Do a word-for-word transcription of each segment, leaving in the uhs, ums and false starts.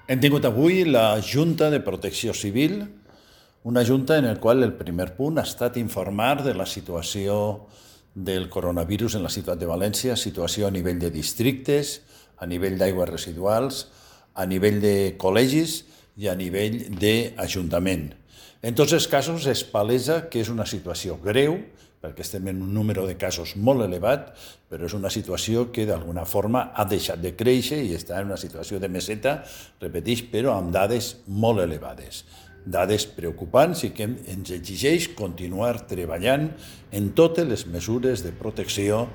Hem tingut avui la Junta de Protecció Civil, una junta en la qual el primer punt ha estat informar de la situació del coronavirus en la ciutat de València, situació a nivell de districtes, a nivell d'aigües residuals, a nivell de col·legis i a nivell d'Ajuntament. En tots els casos es palesa que és una situació greu, perquè estem en un número de casos molt elevat, però és una situació que d'alguna forma ha deixat de créixer i està en una situació de meseta, repeteix, però amb dades molt elevades. Dades preocupants i que ens exigeix continuar treballant en totes les mesures de protecció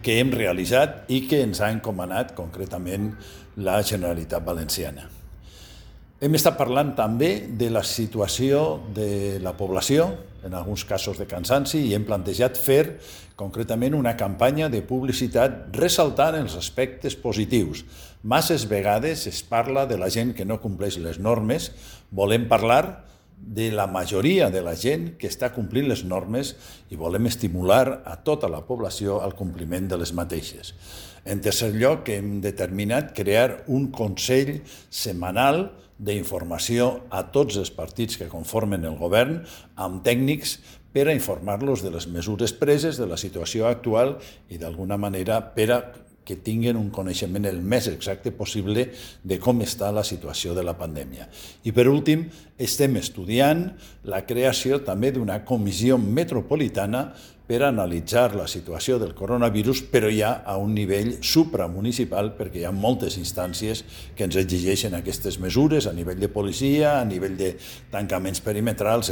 que hem realitzat i que ens ha encomanat concretament la Generalitat Valenciana. Hem estat parlant també de la situació de la població, en alguns casos de cansanci, i hem plantejat fer concretament una campanya de publicitat ressaltant els aspectes positius. Masses vegades es parla de la gent que no compleix les normes, volem parlar de la majoria de la gent que està complint les normes i volem estimular a tota la població al compliment de les mateixes. En tercer lloc, hem determinat crear un consell setmanal d'informació a tots els partits que conformen el govern amb tècnics per a informar-los de les mesures preses, de la situació actual i d'alguna manera per a que tinguin un coneixement el més exacte possible de com està la situació de la pandèmia. I per últim, estem estudiant la creació també d'una comissió metropolitana per analitzar la situació del coronavirus, però ja a un nivell supramunicipal, perquè hi ha moltes instàncies que ens exigeixen aquestes mesures a nivell de policia, a nivell de tancaments perimetrals,